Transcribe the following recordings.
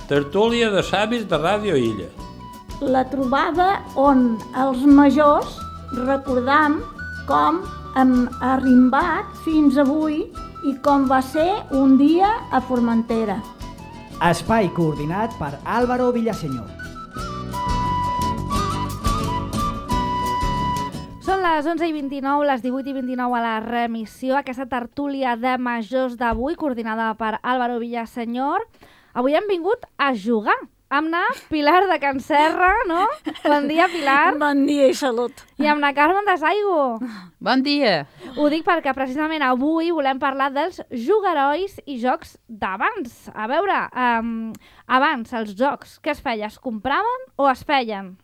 Tertúlia de savis de Ràdio Illa. La trobada on els majors recordam com hem arrimbat fins avui i com va ser un dia a Formentera. Espai coordinat per Álvaro Villaseñor. Són les 11:29, les 18:29 a la remissió, aquesta tertúlia de majors d'avui, coordinada per Álvaro Villaseñor. Avui hem vingut a jugar. Amb na Pilar de Can Serra, no? Bon dia, Pilar. Bon dia i salut. I amb na Carmen de Saigo. Bon dia. Ho dic perquè precisament avui volem parlar dels jugarois i jocs d'abans. A veure, abans els jocs, què es feia? Es compraven o es feien?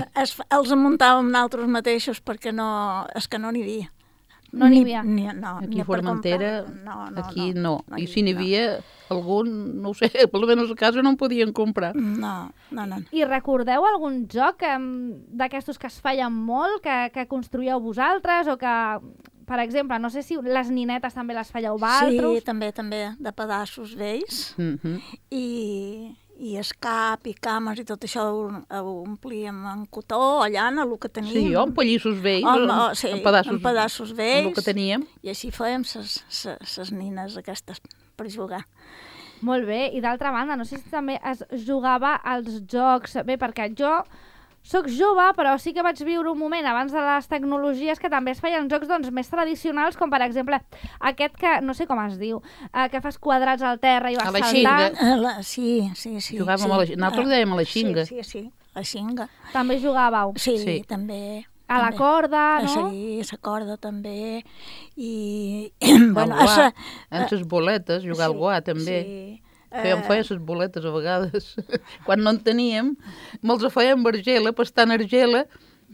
Els muntàvem nosaltres mateixos perquè és que no n'hi havia. No n'hi havia? Aquí a Formentera, aquí no. I si n'hi havia algun, no ho sé, almenys a casa no en podien comprar. No. I recordeu algun joc d'aquestos que es feien molt, que construíeu vosaltres, o que, per exemple, no sé si les ninetes també les fèieu vosaltres? Sí, també, de pedaços vells. I escap i cames i tot això ho omplíem en cotó o llana, el que teníem. Sí, amb pallissos vells, en pedaços vells. El que teníem. I així fèiem ses nines aquestes per jugar. Molt bé, i d'altra banda, no sé si també es jugava als jocs... Bé, perquè jo soc jove, però sí que vaig viure un moment abans de les tecnologies que també es feien jocs doncs, més tradicionals, com per exemple aquest que, no sé com es diu, que fas quadrats al terra i vas saltant. Sí. Jugàvem a la xinga. Nosaltres dèiem a la xinga. Sí, la xinga. També jugàveu? Sí, també. A la corda, no? Sí, a la corda també. I... bueno, en les boletes, jugar al guà també. Sí. Feia les boletes a vegades. Quan no en teníem, me'ls feien amb argela, pastant argela,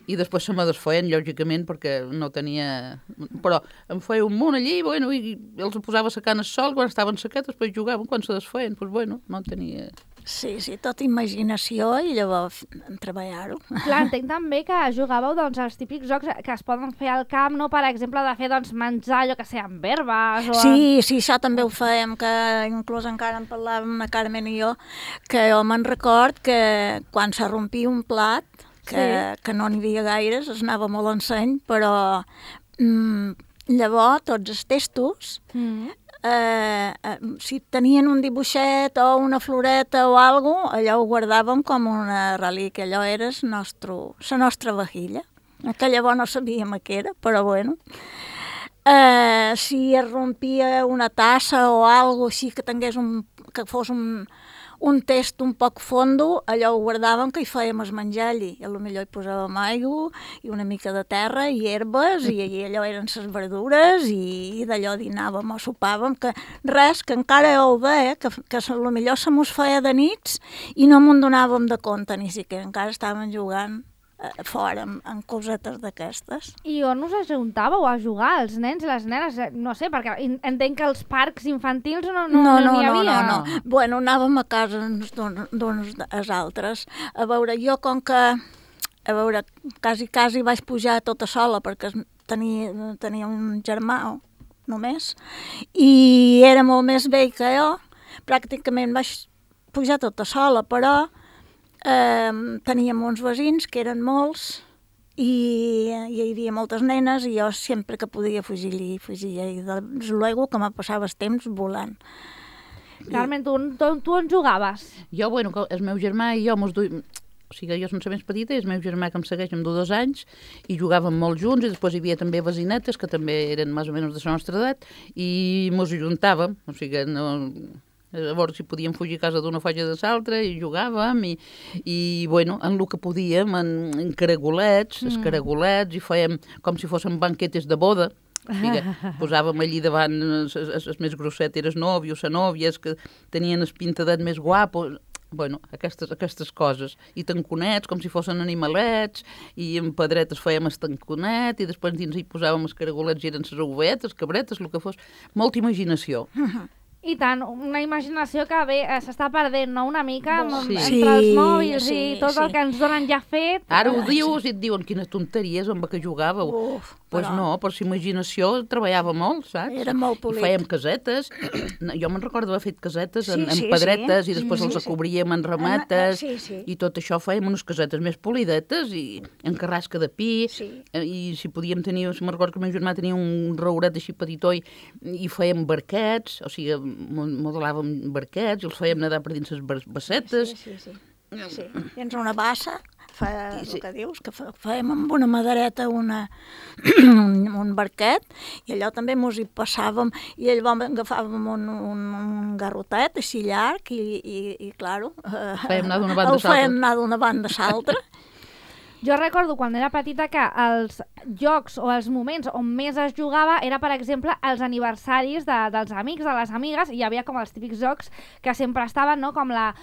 i després se me desfeien, lògicament, perquè no tenia... Però em feia un munt allí, bueno, i els posava secant al sol, quan estaven sequets, després jugaven, quan se desfeien, doncs bueno, no tenia... Sí, tota imaginació i llavors treballar-ho. Clar, entenc també que jugàveu doncs, els típics jocs que es poden fer al camp, no? Per exemple, de fer doncs, menjar allò que sé, amb herbes... O... Sí, això també ho fèiem, que inclús encara en parlàvem la Carmen i jo, que jo me'n record que quan se rompia un plat, que no n'hi havia gaires, es anava molt en seny, però llavors tots els testos... si tenien un dibuixet o una floreta o alguna cosa, allò ho guardàvem com una relíquia, allò era la nostra vajilla, que llavors no sabíem què era, però bueno. Si es rompia una tassa o alguna cosa així que fos un test un poc fondo, allò ho guardàvem que hi fèiem es menjar allí. I potser hi posàvem aigua i una mica de terra i herbes i allò eren ses verdures i d'allò dinàvem o sopàvem, que encara ho veia, que potser se mos feia de nits i no m'ho donàvem de compte, ni siquiera encara estàvem jugant fora amb cosetes d'aquestes. I on us ajuntàveu a jugar, els nens i les nenes? No sé, perquè entenc que els parcs infantils no n'hi havia. No. Bueno, anàvem a casa d'uns als altres. A veure, jo com que... quasi vaig pujar tota sola perquè tenia un germà només i era molt més vell que jo. Pràcticament vaig pujar tota sola, però teníem uns veïns que eren molts i hi havia moltes nenes i jo sempre que podia fugia i des luego que me passava el temps volant. Carmen, tu on jugaves? Jo, bueno, el meu germà i jo mos duim... O sigui, jo som la més petita i el meu germà que em segueix amb 2 anys i jugàvem molt junts i després hi havia també vecinetes que també eren més o menys de la nostra edat i mos ajuntàvem, o sigui, no... Llavors si podíem fugir a casa d'una falla de l'altra i jugàvem i bueno, en el que podíem, en caragolets, escaragolets, i fèiem com si fossin banquetes de boda. O sigui, posàvem allí davant els més grossetes nòvios, nòvies que tenien el pintadet més guapo. Bueno, aquestes coses. I tanconets, com si fossin animalets, i amb pedretes fèiem el tanconet, i després dins hi posàvem els caragolets i eren les ovetes, cabretes, el que fos. Molta imaginació. I tant, una imaginació que bé, s'està perdent, no?, una mica sí. Entre els mòbils i tot el que ens donen ja fet. Ara ho dius i et diuen quines tonteries amb què jugàveu. Doncs no, per la imaginació treballava molt, saps? Era molt polit. I fèiem casetes. Jo me'n recordo haver fet casetes en pedretes i després els cobríem en ramates i tot això fèiem unes casetes més polidetes i en carrasca de pi i si podíem tenir, me'n recordo que el meu germà tenia un rauret així petitó i fèiem barquets, o sigui, modelàvem barquets i els fèiem nedar per dins les bassetes. Sí. Tens una bassa, el que dius, que fèiem amb una madereta un barquet i allò també mos hi passàvem i llavors agafàvem un garrotet així llarg i claro, fèiem anar d'una banda a l'altra. Fèiem anar d'una banda a l'altra. Jo recordo quan era petita que els jocs o els moments on més es jugava era, per exemple, els aniversaris dels amics, de les amigues, i hi havia com els típics jocs que sempre estaven, no? Com la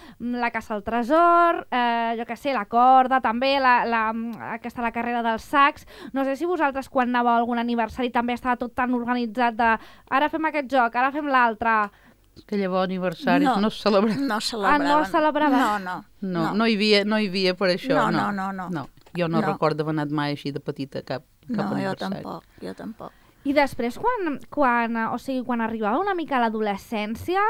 caça al tresor, jo què sé, la corda, també, la carrera dels sacs. No sé si vosaltres quan anàveu a algun aniversari també estava tot tan organitzat de ara fem aquest joc, ara fem l'altre. Que llavors aniversaris no es celebraven. No celebraven. No es celebraven? No hi havia per això. No. Jo no recordo haver anat mai així de petita cap aniversari. Jo tampoc. I després, quan arribava una mica a l'adolescència,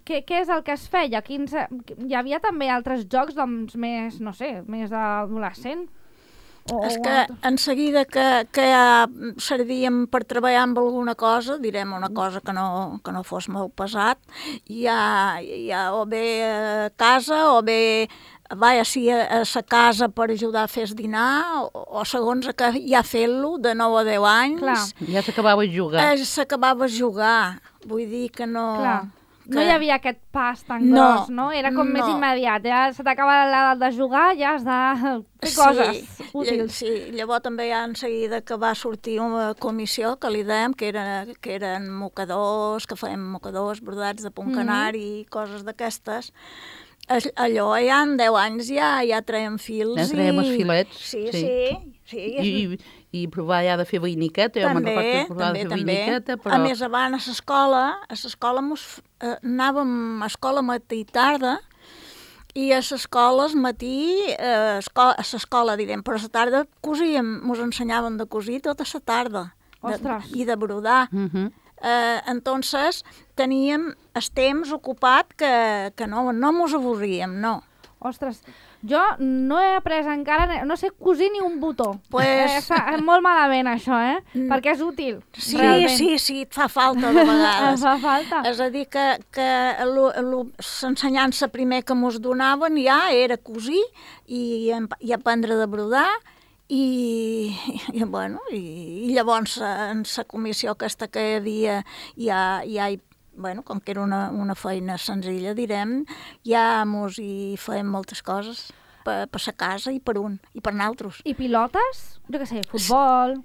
què és el que es feia? Hi havia també altres jocs, doncs, més, no sé, més d'adolescent? És que en seguida que ja servíem per treballar amb alguna cosa, direm una cosa que no fos molt pesat, ja o bé a casa o bé sí, a la casa per ajudar a fer el dinar o segons que ja fent-lo de 9 a 10 anys. Clar. Ja s'acabava de jugar. S'acabava de jugar, vull dir que no... Clar. No hi havia aquest pas tan gros, no? Era com més immediat. Ja se t'acaba l'edat de jugar, ja has de fer coses útils. Sí, llavors també ja en seguida que va sortir una comissió que li dèiem, que eren mocadors, que fèiem mocadors, brodats de punt canari i coses d'aquestes. Allò ja en 10 anys ja traiem fils. Ja traiem els filets. Sí. I provar ja de fer veïniqueta. Jo me'n recordo que provava de fer veïniqueta, però... A més, abans a l'escola anàvem a escola matí i tarda, i a l'escola al matí, a l'escola, direm, però a la tarda cosíem, ens ensenyaven de cosir tota la tarda. Ostres! I de brodar. Entonces teníem el temps ocupat que no mos avorríem, no. Ostres, jo no he après encara, no sé cosir ni un botó. Pues... molt malament això, perquè és útil. Sí, et fa falta de vegades. Fa falta. És a dir, que l'ensenyança primer que mos donaven ja era cosir i aprendre de brodar. I llavors en la comissió aquesta que hi havia com que era una feina senzilla, direm, ja mos hi fèiem moltes coses per la casa i per naltros. I pilotes? Jo què sé, futbol...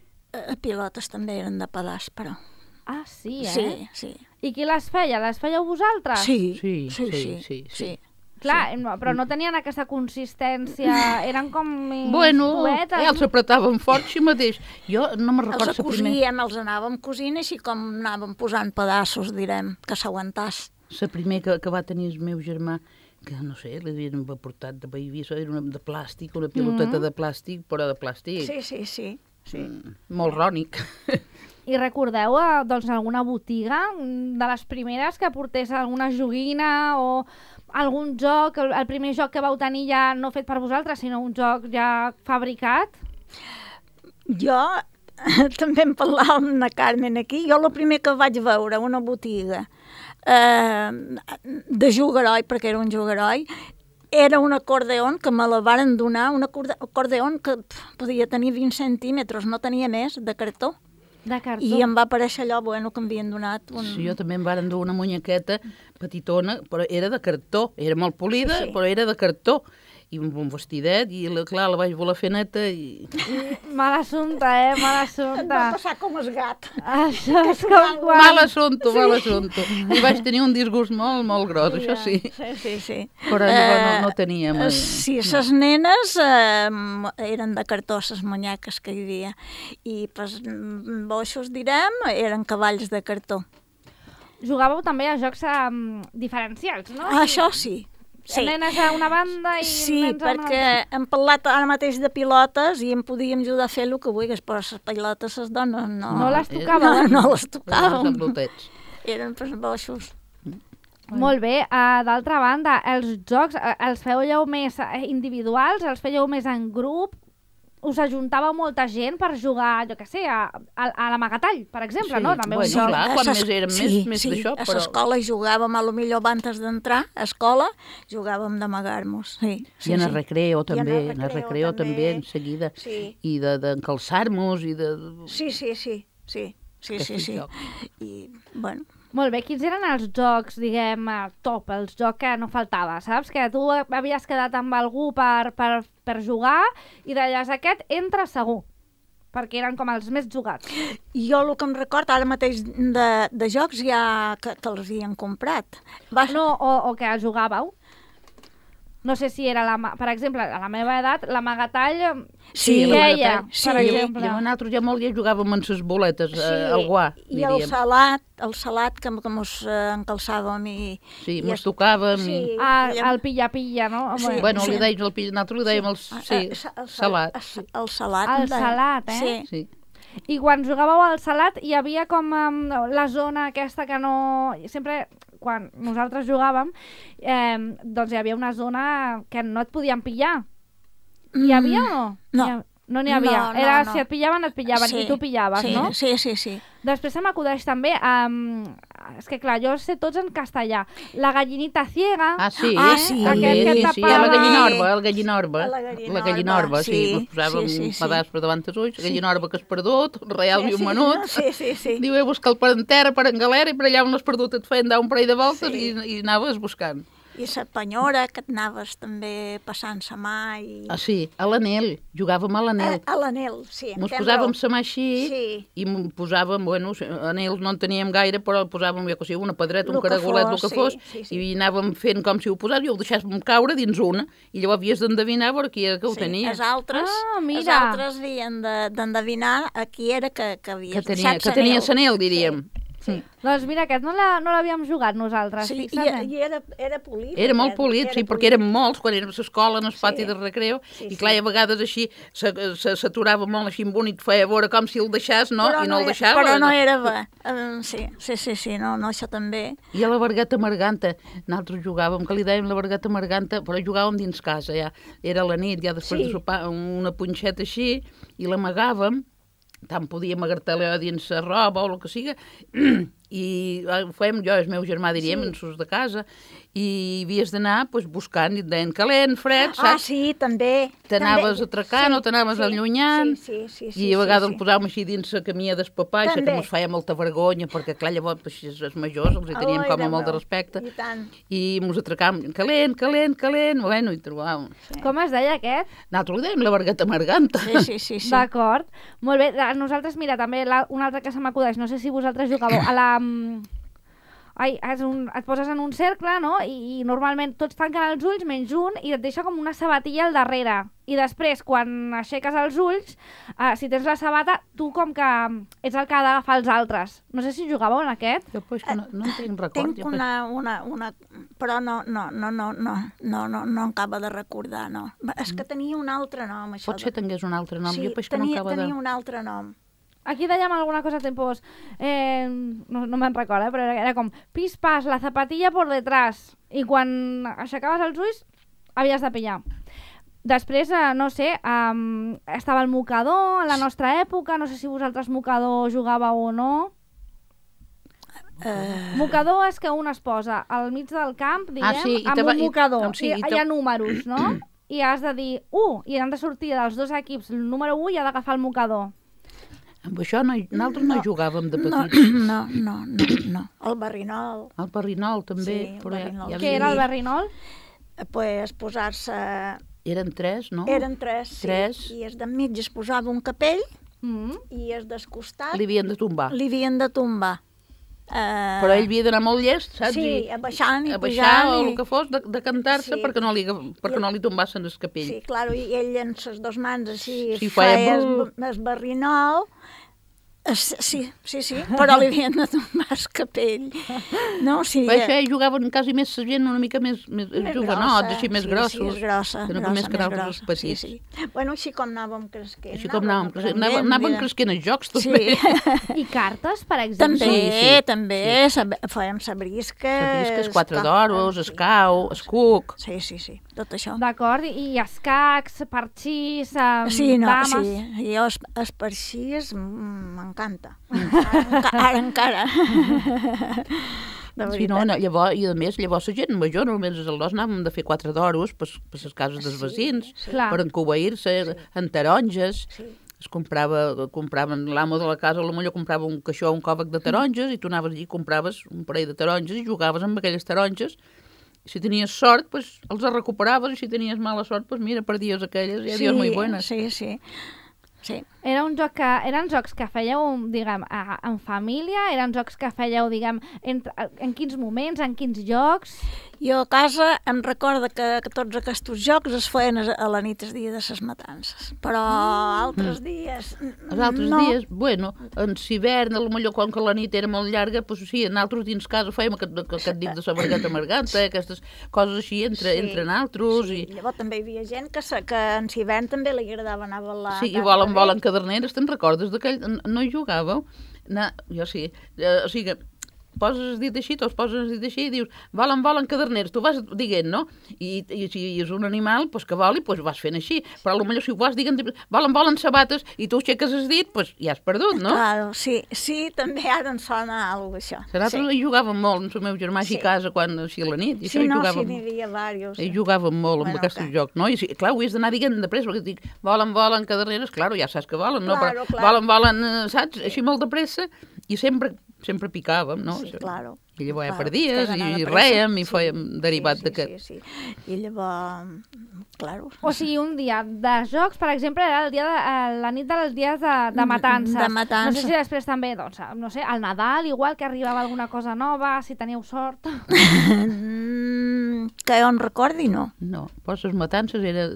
Pilotes també eren de pedaç, però... Ah, sí, Sí. I qui les feia? Les fèieu vosaltres? Sí. Clar, però no tenien aquesta consistència, eren com... Bueno, els apretaven fort així mateix. Jo no me'n recordo... Els cosíem, els anàvem cosint així com anàvem posant pedaços, direm, que s'aguantàs. La primer que va tenir el meu germà, que no sé, l'havien portat de baby, era una de plàstic, una piloteta de plàstic, però de plàstic. Sí. Molt rònic. I recordeu, doncs, alguna botiga de les primeres que portés alguna joguina o algun joc, el primer joc que vau tenir ja no fet per vosaltres, sinó un joc ja fabricat? Jo, també em parlava amb la Carmen aquí, jo el primer que vaig veure, una botiga de jugaroi, perquè era un jugaroi, era un acordeon que me la varen donar, un acordeon que podia tenir 20 centímetres, no tenia més, de cartó. De cartó. I em va aparèixer allò, bueno, que m'havien donat Sí, jo també em varen dur una munyequeta petitona, però era de cartó, era molt polida, però era de cartó. I amb un vestidet, i clar, la vaig voler fer neta i... Mal assumpte, mal assumpte. Va passar com el gat. Això és com quan... Mal assumpte. I vaig tenir un disgust molt, molt gros, això sí. Sí. Però no teníem... Sí, les nenes eren de cartó, les munyeques que hi havia. I boixos, direm, eren cavalls de cartó. Jugàveu també a jocs diferencials, no? Això sí. nenes a una banda i Sí, nens a una perquè altra. hem parlat ara mateix de pilotes i em podíem ajudar a fer el que vulguis, però les pilotes les dones no... No les tocàveu, No les Els tocàvem. emblotets. Eren per boixos. Molt bé, d'altra banda, els jocs els fèieu més individuals, els fèieu més en grup, us ajuntava molta gent per jugar, jo què sé, a l'amagatall, per exemple, no? També bueno, un joc. clar, quan més érem més sí, d'això, a però... l'escola jugàvem, a lo millor abans d'entrar a escola, jugàvem d'amagar-nos, sí. I en el recreo I també, en en el recreo també, en seguida. Sí. I d'encalçar-nos i de... Sí. Aquests jocs. I, bueno, Molt bé, quins eren els jocs, diguem, top, els jocs que no faltava, saps? Que tu havies quedat amb algú per jugar i deies, aquest entra segur, perquè eren com els més jugats. jo el que em record ara mateix de jocs ja que els havien comprat. No, o que jugàveu. No sé si era, per exemple, a la meva edat, l'amagatall Sí, queia, sí. per I exemple. nosaltres ja molt ja jugàvem amb les boletes, al guà, I el diríem. salat que mos encalçàvem i... Sí, i mos tocàvem. Sí, El pilla-pilla, no? Sí. Bueno, Sí. li deien, nosaltres li dèiem salat. El salat. El salat, eh? Sí. Sí. I quan jugàveu al salat hi havia com la zona aquesta que no... Sempre, quan nosaltres jugàvem, doncs hi havia una zona que no et podien pillar. Hi havia o no? No. No n'hi havia. No, Era no. si et pillaven, et pillaven, Sí, i tu pillaves, sí, no? Sí. Després se m'acudeix també, és que clar, jo sé tots en castellà. La gallinita ciega, Ah, sí, Ah, sí. Aquest que sí, tapava- la gallinorba, el gallinorba. La gallinorba, gallinorba, sí. sí, Ens posàvem sí, sí, un sí. pedaç per davant dels ulls, gallinorba que has perdut, un real i un menut. Sí. Diu, he buscat per en terra, per en galera, i per allà on l'has perdut et feien dar un parell de voltes Sí. i anaves buscant. I la penyora, que et anaves també passant sa mà i... Ah, sí, a l'anel, jugàvem a l'anel. A l'anel, sí. Mos tens posàvem raó. sa mà així Sí. i posàvem, bueno, anells no en teníem gaire, però posàvem, ja que sigui, una pedreta, un Lo que caragolet, fos, el que fos, sí. i anàvem fent com si ho posàs i ho deixàvem caure dins una, i llavors havies d'endevinar per qui era que ho tenia. Els altres, Ah, mira. els altres havien d'endevinar a qui era que havies Que tenia sanel, diríem. doncs mira, aquest no l'havíem jugat nosaltres. Sí, fixa't. i era polit. Era molt aquest, polit, sí, perquè érem molts quan érem a l'escola, en el pati de recreo, Sí, i clar, a vegades així s'aturava molt així amb un i et feia veure com si el deixàs, no? I no el deixava. Però no era bé. Sí, no, això també. I a la Vergata Marganta, nosaltres jugàvem, que li dèiem la Vergata Marganta, però jugàvem dins casa, ja. Era la nit, ja després Sí. de sopar, una punxeta així, i l'amagàvem, tant podíem agartar-la dins la roba o el que siga, i ho fèiem jo i el meu germà, diríem, en sus de casa, i havies d'anar pues, buscant, i et deien calent, fred, Ah, saps? sí, també. T'anaves també. atracant o t'anaves allunyant, i a vegades el posàvem així dins la camia del papà, això que També. mos feia molta vergonya, perquè clar, llavors així, els majors els hi teníem Ai, com a Déu molt de meu. respecte, I tant. i mos atracàvem calent, bueno, i trobàvem. Com es deia aquest? Nosaltres li dèiem la Vergata Marganta. Sí. D'acord. Molt bé, nosaltres, mira, també un altre que se m'acudeix, no sé si vosaltres jugueu a la... et poses en un cercle, no? I normalment tots tanquen els ulls menys un i et deixa com una sabatilla al darrere. I després, quan aixeques els ulls, si tens la sabata, tu com que ets el que ha d'agafar els altres. No sé si jugàveu en aquest. Jo pues, no en tinc record. Tinc jo, pues. una... Però no acaba de recordar, no. És que tenia un altre nom, això. Potser tingués un altre nom, Sí, jo pues, que no acaba de... tenia un altre nom. Aquí dèiem alguna cosa tipus... no me'n recordo, però era com pis-pas, la zapatilla por detrás. I quan aixecaves els ulls, havies de pillar. Després, no sé, estava el mocador, a la nostra època, no sé si vosaltres mocador jugàveu o no. Mocador és que un es posa al mig del camp, diguem, sí, i amb un mocador. sí, Hi ha números, no? I has de dir 1, i han de sortir dels dos equips el número 1 i ha d'agafar el mocador. Amb això nosaltres no jugàvem de No, petits. no. El barrinol. El barrinol també. Sí, el però barrinol. Què era el barrinol? Pues posar-se... Eren tres, no? Eren tres, sí. Tres. I es de mig es posava un capell Mm. i es descostat Li havien de tombar. li havien de tombar. Però ell havia d'anar molt llest, saps? Sí, I abaixant i a pujant. baixar o i... el que fos, de cantar-se Sí. perquè no li tombassen el capell. Sí, clar, i ell amb les dues mans així Sí, feia feia brrr. el barrinol Sí, però li havien de tombar el capell. No, o sigui, Això jugaven quasi més gent una mica més jovenots, així més grossos. Sí, és grossa, que no grossa, més que més nosaltres grossa. petits. Sí. Bueno, així com anàvem cresquent. Així com anàvem cresquent els jocs, també. Sí. I cartes, per exemple? També, fèiem sabrisques. Sabrisques, 4 d'oros, escau, escuc. Sí, tot això. D'acord, i escacs, parxís, dames... Sí, jo els parxís m'encanta. Ara encara. Sí, no, llavors, i a més, llavors la gent major, només els aldors anàvem de fer 4 d'oros per les cases dels vecins, per encobeir-se, en taronges. Es compraven l'amo de la casa, potser comprava un caixó, un còvec de taronges, i tu anaves allí i compraves un parell de taronges i jugaves amb aquelles taronges. Si tenies sort, pues els recuperaves, i si tenies mala sort, pues mira, perdies aquelles, i adiós, muy buenas. Sí. Eren jocs que fèieu, diguem, en família? Eren jocs que fèieu, diguem, en quins moments, en quins llocs? Jo a casa em recordo que tots aquests jocs es feien a la nit, el dia de les matances. Però altres dies... Els altres dies, bueno, en hivern, potser com que la nit era molt llarga, doncs sí, nosaltres dins casa fèiem aquest dit de la vergata amarganta, aquestes coses així entre nosaltres. Sí, llavors també hi havia gent que en hivern també li agradava anar a ballar. Sí, i volen caderneres, te'n recordes d'aquell? No hi jugàveu? Jo sí, o sigui, poses dit així, tots poses dit així, i dius, volen caderneres, tu vas dient, no? I si és un animal, doncs que voli, doncs vas fent així, però potser si ho vas dient, volen sabates, i tu aixeques el dit, doncs ja has perdut, no? Claro, sí, també ara em sona alguna cosa, això. Nosaltres hi jugàvem molt amb el meu germà a casa, quan així a la nit, i sí, n'hi havia diversos. Hi jugàvem molt amb aquests jocs, no? I clar, ho has d'anar dient de pressa, perquè dic, volen caderneres, clar, ja saps que volen, no? Però volen, saps, així molt de pressa, i sempre picàvem, no? Sí, claro. I llavors ja perdies, i rèiem, i fèiem derivat d'aquest. Sí. I llavors, claro. O sigui, un dia de jocs, per exemple, era la nit dels dies de matança. De matança. No sé si després també, doncs, no sé, al Nadal, igual que arribava alguna cosa nova, si teníeu sort. Que jo en recordi, no. No, però les matances era...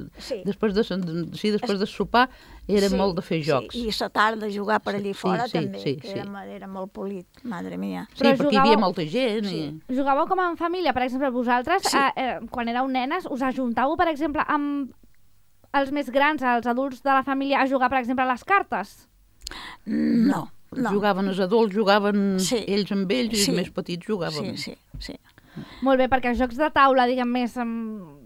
Després de sopar era molt de fer jocs. I la tarda jugar per allí fora també, que era molt polit, madre mia. Sí, perquè hi havia molta gent. Jugàveu com en família, per exemple, vosaltres, quan éreu nenes, us ajuntàveu, per exemple, amb els més grans, els adults de la família, a jugar, per exemple, a les cartes? No. Jugaven els adults, jugaven ells amb ells, i els més petits jugaven. Sí. Molt bé, perquè els jocs de taula, diguem, més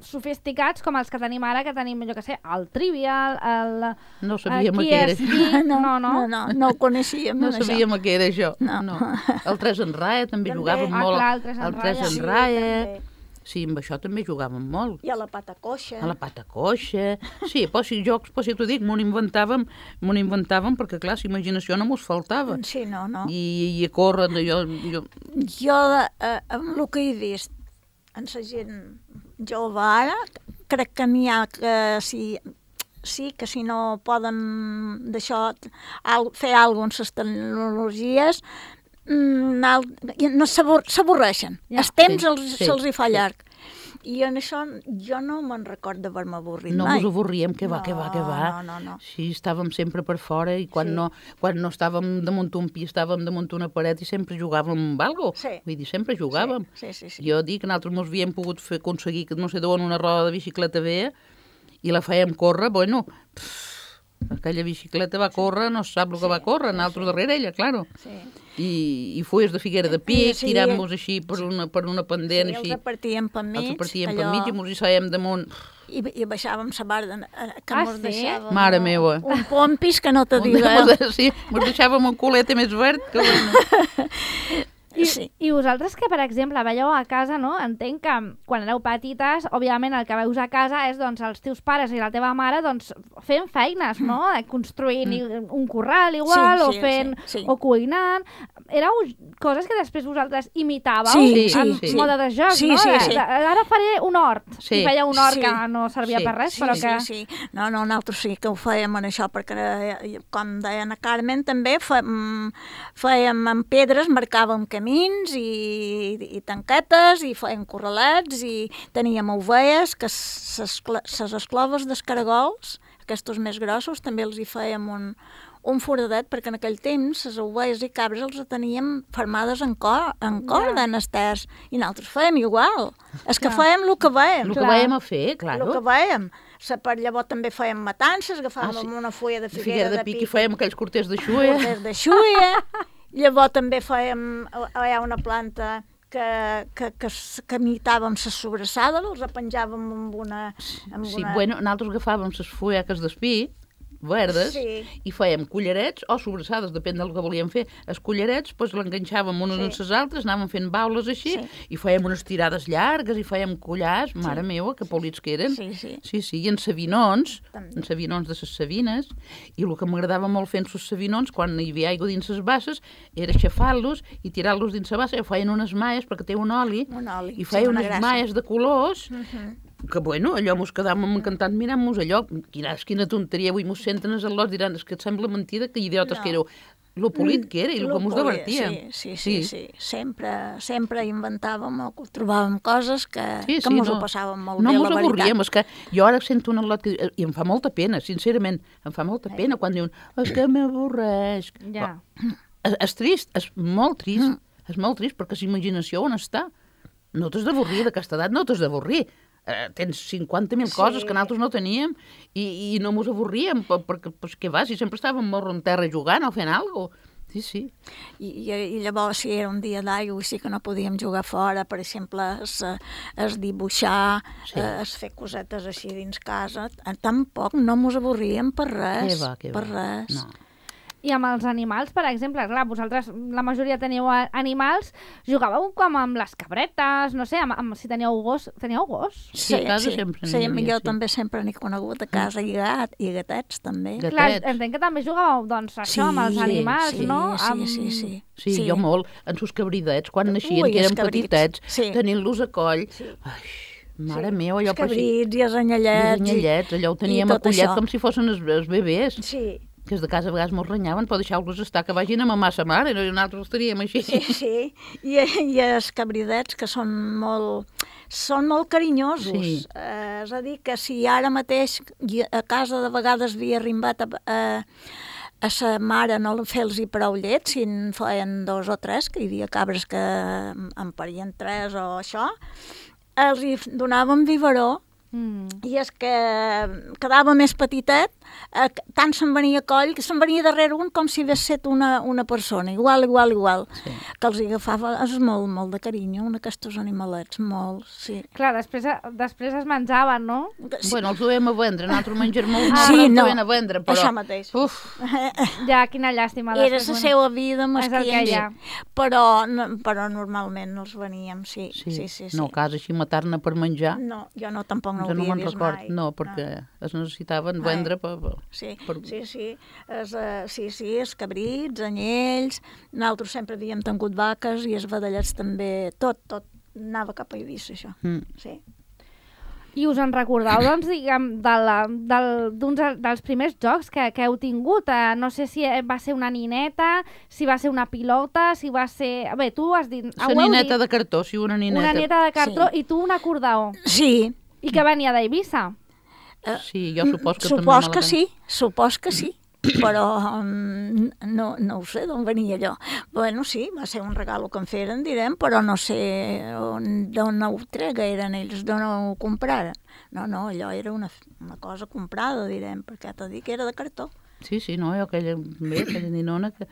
sofisticats, com els que tenim ara, que tenim, jo què sé, el Trivial, No sabíem què era això. No ho coneixíem. No sabíem què era això. No. El 3 en Raia també jugàvem molt. El 3 en Raia. Sí, amb això també jugàvem molt. I a la pata coixa. Sí, però si jocs, si t'ho dic, m'ho inventàvem perquè, clar, la imaginació no mos faltava. Sí, no. I a córrer, Jo, amb el que he vist en la gent jove ara, crec que n'hi ha que que si no poden d'això fer alguna cosa amb les tecnologies, no s'avorreixen. El temps se'ls hi fa llarg. I en això jo no me'n recordo d'haver-me avorrit mai. No ens avorríem, que va. No. Sí, estàvem sempre per fora, i quan no estàvem damunt un pi, estàvem damunt una paret, i sempre jugàvem amb alguna cosa. Vull dir, sempre jugàvem. Sí. Jo dic que nosaltres ens havíem pogut aconseguir, no sé d'on, una roda de bicicleta vella, i la fèiem córrer, bueno... Aquella bicicleta va córrer, no sap el que va córrer, nosaltres darrere ella, claro. I fulles de figuera de pic, tirant-nos així per una pendent. Sí, els repartíem per mig. I ens hi saiem damunt. I baixàvem la barra que ens deixàvem... Mare meua. Un pompis que no te digueu. Sí, ens deixàvem un culete més verd que bueno. I vosaltres que, per exemple, veieu a casa, no? Entenc que quan éreu petites, òbviament el que veus a casa és doncs, els teus pares i la teva mare doncs, fent feines, no? Construint un corral igual, o fent o cuinant. Éreu coses que després vosaltres imitàveu en mode de joc, no? Ara faré un hort. I feia un hort que no servia per res, però que... Sí. No, nosaltres sí que ho fèiem en això, perquè, com deia la Carmen, també fèiem amb pedres, marcàvem camins i tanquetes, i fèiem corralets, i teníem ovelles, que les escloves dels caragols, aquests més grossos, també els hi fèiem un foradet, perquè en aquell temps les ovelles i cabres els teníem fermades en corda, en esters, i nosaltres fèiem igual. És que fèiem el que veiem. El que veiem a fer, claro. El que veiem. Per llavors també fèiem matances, agafàvem una fulla de figuera de pic i fèiem aquells corters de xuia. Llavors també fèiem, hi ha una planta que imitàvem les sobrassades, els penjàvem amb una... Bueno, nosaltres agafàvem les fulleques d'espí, verdes, i fèiem cullerets o sobrassades, depèn del que volíem fer. Els cullerets, doncs l'enganxàvem unes amb les altres, anàvem fent baules així, i fèiem unes tirades llargues, i fèiem collars, mare meva, que polits que eren. Sí, i en sabinons de les sabines, i el que m'agradava molt fent les sabinons, quan hi havia aigua dins les basses, era aixafar-los i tirar-los dins la bassa, i feien unes maies, perquè té un oli, i feien unes maies de colors, que, bueno, allò mos quedàvem encantant mirant-nos allò, quina tonteria, avui mos senten els al·lots, diran, és que et sembla mentida, que idiotes que éreu. Lo polit que era i el que mos divertíem. Sí. Sempre inventàvem o trobàvem coses que mos ho passàvem molt bé, la veritat. No mos avorríem, és que jo ara sento un al·lot i em fa molta pena, sincerament, em fa molta pena quan diuen, és que m'avorreix. És trist, és molt trist, perquè la imaginació on està? No t'has d'avorrir d'aquesta edat, no t'has d'avorrir. Tens 50.000 coses que nosaltres no teníem i no mos avorríem, perquè què va, si sempre estàvem morro en terra jugant o fent alguna cosa. Sí. I llavors, si era un dia d'aigua, sí que no podíem jugar fora, per exemple, es dibuixar, es fer cosetes així dins casa, tampoc no mos avorríem per res, per res. No. I amb els animals, per exemple, clar, vosaltres, la majoria teniu animals, jugàveu com amb les cabretes, no sé, si teníeu gos. Teníeu gos? Sí, a casa sempre n'hi havia. Jo també sempre n'he conegut a casa, i gatets també. Clar, entenc que també jugàveu, doncs, això, amb els animals, no? Sí, jo molt, amb els cabridets, quan naixien, que eren petitets, tenint-los a coll. Mare meva, allò... Els cabrits i els anyellets. Allò ho teníem acollet com si fossin els bebès. Sí. Que els de casa a vegades mos renyaven per deixar-los estar, que vagin a mamar sa mare, i nosaltres els teníem així. Sí. I els cabridets, que són molt carinyosos. És a dir, que si ara mateix a casa de vegades havia arrimbat a sa mare no fer-los prou llet, si en feien 2 o 3, que hi havia cabres que en parien 3 o això, els hi donàvem biberó. I és que quedava més petitet, tant se'n venia a coll, que se'n venia darrere un com si hagués set una persona, igual, que els agafava, és molt de carinyo, aquests animalets, molt, sí. Clar, després es menjaven, no? Bueno, els duem a vendre, nosaltres mengem molt, els duem a vendre, però... Això mateix. Ja, quina llàstima. Era la seva vida mesquina, però normalment els veníem, sí. No, a casa així matar-ne per menjar. No, jo no, tampoc no ho havia vist mai. No, perquè es necessitaven vendre per... Sí, els cabrits, anyells, nosaltres sempre havíem tingut vaques i els vedellets també, tot anava cap a Eivissa, això. Sí. I us en recordeu, doncs, diguem, d'un dels primers jocs que heu tingut? No sé si va ser una nineta, si va ser una pilota, si va ser... Bé, tu has dit... La nineta de cartó, sí, una nineta. Una nineta de cartó, i tu un acordeó. Sí. I que venia d'Eivissa? Sí, jo supos que també... Supos que sí, però no ho sé d'on venia allò. Bueno, sí, va ser un regal que em feren, direm, però no sé d'on ho tregueren ells, d'on ho compraren. No, allò era una cosa comprada, direm, perquè t'ho dic que era de cartó. Sí, no, aquella ninona que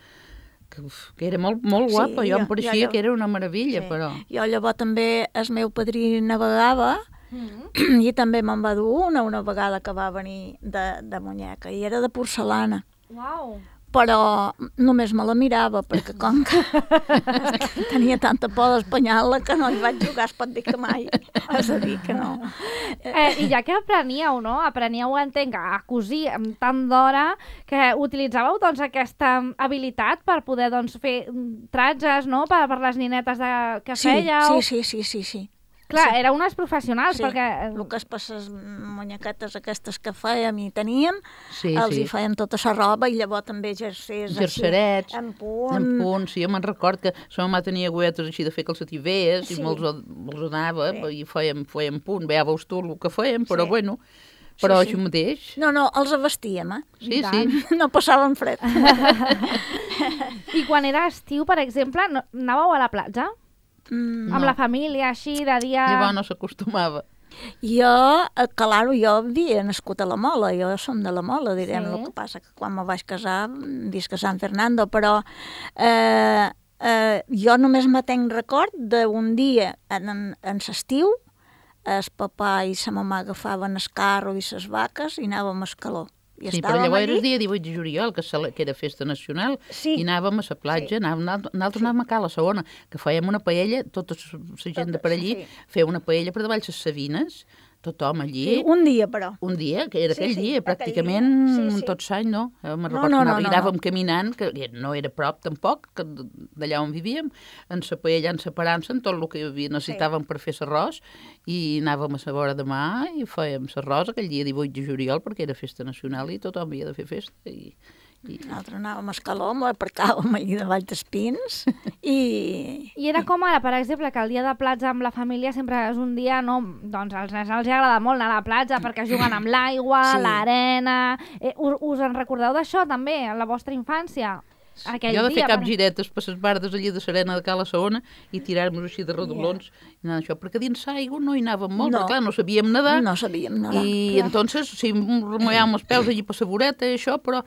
era molt guapa, jo em pareixia que era una meravella, però... Jo llavors també el meu padrí navegava, i també me'n va dur una vegada que va venir de muñeca, i era de porcelana. Uau! Però només me la mirava, perquè com que tenia tanta por d'espanyar-la que no hi vaig jugar, es pot dir que mai. És a dir, que no. I ja que apreníeu, no? Apreníeu, entenc, a cosir amb tant d'hora, que utilitzàveu, doncs, aquesta habilitat per poder, doncs, fer tratges, no?, per les ninetes que fèieu. Sí. Clar, éreu unes professionals, perquè... El que és per les munyequetes aquestes que fèiem i teníem, els hi feien tota la roba, i llavors també jerserets, en punt. Sí, jo me'n record que la mama tenia agulletes així de fer calcetivers, i me'ls donava, i fèiem punt, veus tu el que fèiem, però bueno, Però sí. això mateix... No, els vestíem, Sí, tant. sí. No passàvem fred. I quan era estiu, per exemple, anàveu a la platja? Amb la família, així, de dia... Llavors no s'acostumava. Jo, claro, jo havia nascut a la Mola, jo som de la Mola, direm, Sí. el que passa que quan me vaig casar visc a San Fernando, però jo només me tenc record d'un dia en l'estiu, el papà i sa mamà agafaven el carro i ses vaques i anàvem a Escaló. I Sí, però estàvem llavors allí. era el dia 18 de juliol, que era festa nacional, Sí. i anàvem a la platja, nosaltres anàvem a Cala Segona, que fèiem una paella, tota la gent de per allí, sí. feia una paella per davall les Sabines, tothom allí, Sí, un dia, però. un dia, que era Sí, aquell sí, dia, aquell pràcticament dia. Sí, sí. tot l'any, no? Me'n No, recordo no, que no, anàvem no. caminant, que no era prop tampoc, que d'allà on vivíem, en la paella, en separant-se, en tot el que necessitàvem per fer l'arròs, i anàvem a la vora de mà i fèiem l'arròs aquell dia 18 de juliol, perquè era festa nacional i tothom havia de fer festa. Nosaltres anàvem a Escaló, aparcàvem allí davall dels pins i... I era com ara, per exemple, que el dia de platja amb la família sempre és un dia, no? Doncs als nens els agrada molt anar a la platja perquè juguen amb l'aigua, Sí. l'arena... Us en recordeu d'això també, a la vostra infància? Aquell Jo de fer dia, capgiretes per les bardes allí de Serena de Cala Segona i tirar-nos així de rodolons, i anar això, perquè dins l'aigua no hi anàvem molt, No. perquè clar, no sabíem nedar, No sabíem nedar. i entonces sí, remullàvem els peus allí per la voreta i això, però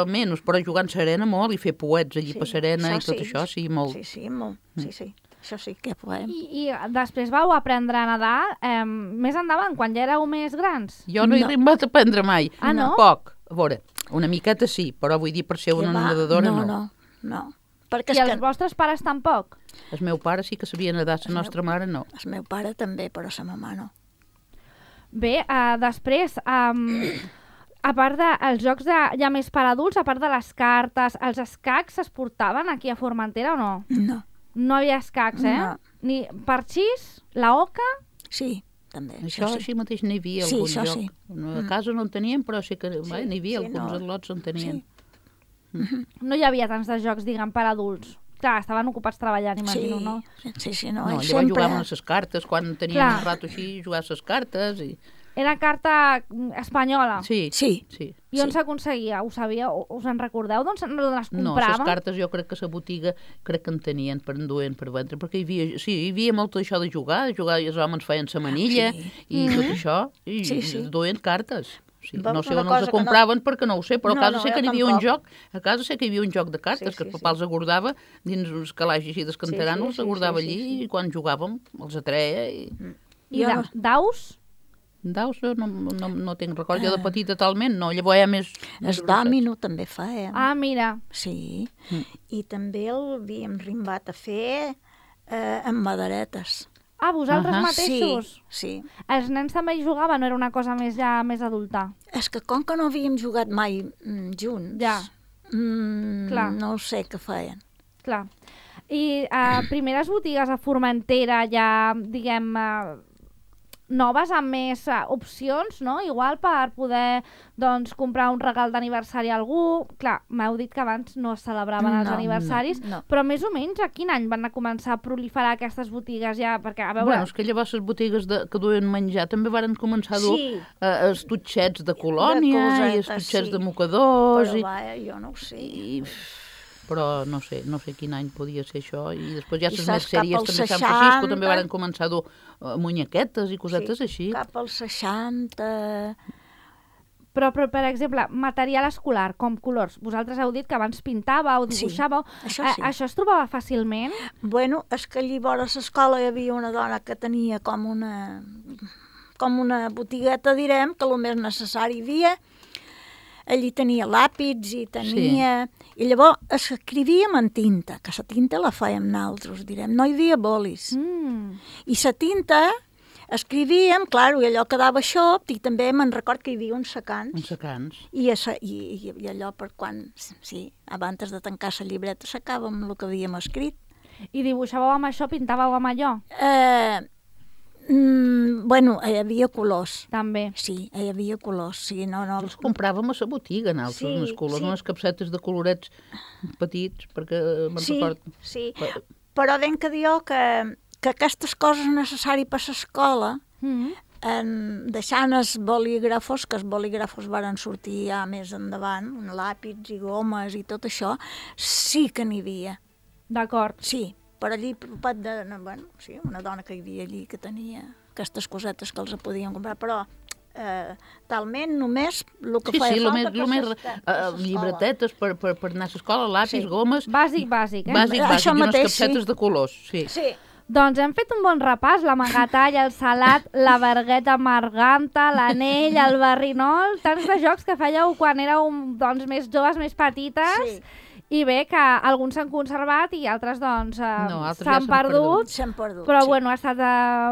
menys, però jugant serena molt i fer poets allí per serena i tot això, sí, molt. Sí, molt. Sí. Això sí que podem. I després vau aprendre a nedar més endavant, quan ja éreu més grans? Jo no he arribat a aprendre mai. Ah, no? Poc. A veure, una miqueta sí, però vull dir per ser una nedadora no. No. Perquè I és els que vostres pares tampoc? El meu pare sí que sabia nedar, la nostra mare no. el meu pare també, però sa mamà no. Bé, després, a part dels jocs ja més per adults, a part de les cartes, els escacs es portaven aquí a Formentera o no? No. No havia escacs, eh? No. Ni parxís, la oca... Sí, també. Això sí. així mateix n'hi havia Sí, algun això joc. sí. A casa no en teníem, però sí que n'hi havia sí, alguns no. atlots en tenien. No hi havia tants de jocs, diguem, per adults. Clar, estaven ocupats treballant, imagino, no? Sí, no. No, I llavors sempre... jugaven a les cartes, quan teníem Clar. un rato així, jugar a les cartes. I... Era carta espanyola. Sí, Sí. sí. I on s'aconseguia? Ho sabíeu? Us en recordeu? D'on les No, les compraven? cartes jo crec que a la botiga crec que en tenien, per enduent per vendre, perquè hi havia molt això de jugar i els homes feien la manilla i tot això, i duien cartes. Sí, Veus no sé una on cosa els que no- compraven perquè no ho sé, però No, a casa no, sé que jo hi havia un tampoc. joc, a casa sé que hi havia un joc de cartes, Sí, que el sí, papà els agordava dins uns calaix així d'escanteran, Sí, els agordava sí, allí i quan jugàvem els atreia i... I Jo no. daus? Daus no tinc record, jo de petita talment no, llavors ja més El dòmino també feien. Ah, mira. Sí. I també el havíem rimbat a fer amb maderetes. Ah, vosaltres mateixos? Sí. Els nens també hi jugaven, no era una cosa més adulta? És que com que no havíem jugat mai junts, Ja. Clar. no sé què feien. Clar. I primeres botigues a Formentera ja, diguem, noves amb més opcions, no? Igual per poder, doncs, comprar un regal d'aniversari a algú. Clar, m'heu dit que abans no es celebraven els No, aniversaris, no. però més o menys a quin any van a començar a proliferar aquestes botigues ja? Perquè, a veure... Bueno, és que llavors les botigues que duien menjar també varen començar a dur Sí. els tutxets de colònia De i els cosetes, tutxets sí. de mocadors. Però jo no ho sé. Però no sé quin any podia ser això. I després ja I les saps, més sèries cap als també a Sant Francisco 60. també varen començar a dur munyequetes i cosetes així. Cap als 60... Però, per exemple, material escolar, com colors. Vosaltres heu dit que abans pintàveu, dibuixàveu. això sí. Això es trobava fàcilment? Bueno, és que allí vora l'escola hi havia una dona que tenia com una botigueta, direm, que el més necessari hi havia. Allí tenia làpits i tenia... Sí. I llavors escrivíem en tinta, que la tinta la fèiem nosaltres, direm. No hi havia bolis. I la tinta escrivíem, clar, i allò quedava xop, i també me'n record que hi havia uns secants. Uns secants. I allò per quan, sí, abans de tancar la llibreta sacàvem el que havíem escrit. I dibuixàveu amb això, pintàveu amb allò? Bueno, hi havia colors. També. Sí, hi havia colors. Sí, no. Els compràvem a la botiga, nosaltres, unes colors, unes capsetes de colorets petits, perquè me'n record. Sí, però ben que diu que aquestes coses necessàries per l'escola deixant els bolígrafos, que els bolígrafos varen sortir ja més endavant, làpits i gomes i tot això, sí que n'hi havia. D'acord. Sí, per allí, sí, una dona que hi havia allí que tenia aquestes cosetes que els podien comprar, però talment només el que feia falta llibretetes per anar a l'escola, lapis, gomes... Bàsic, eh? Bàsic, això i unes mateix, capsetes de colors, sí. Doncs hem fet un bon repàs, la magatalla, el salat, la vergueta marganta, l'anell, el barrinol, tants de jocs que fèieu quan éreu més joves, més petites, i bé, que alguns s'han conservat i altres s'han perdut. Però bueno, ha estat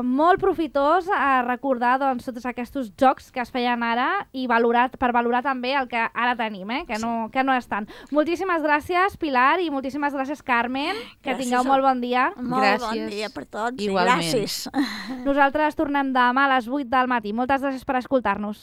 molt profitós recordar tots aquests jocs que es feien ara i per valorar també el que ara tenim, que no és tant. Moltíssimes gràcies, Pilar, i moltíssimes gràcies, Carmen. Que tingueu molt bon dia. Molt bon dia per tots. Igualment. Gràcies. Nosaltres tornem demà a les 8 del matí. Moltes gràcies per escoltar-nos.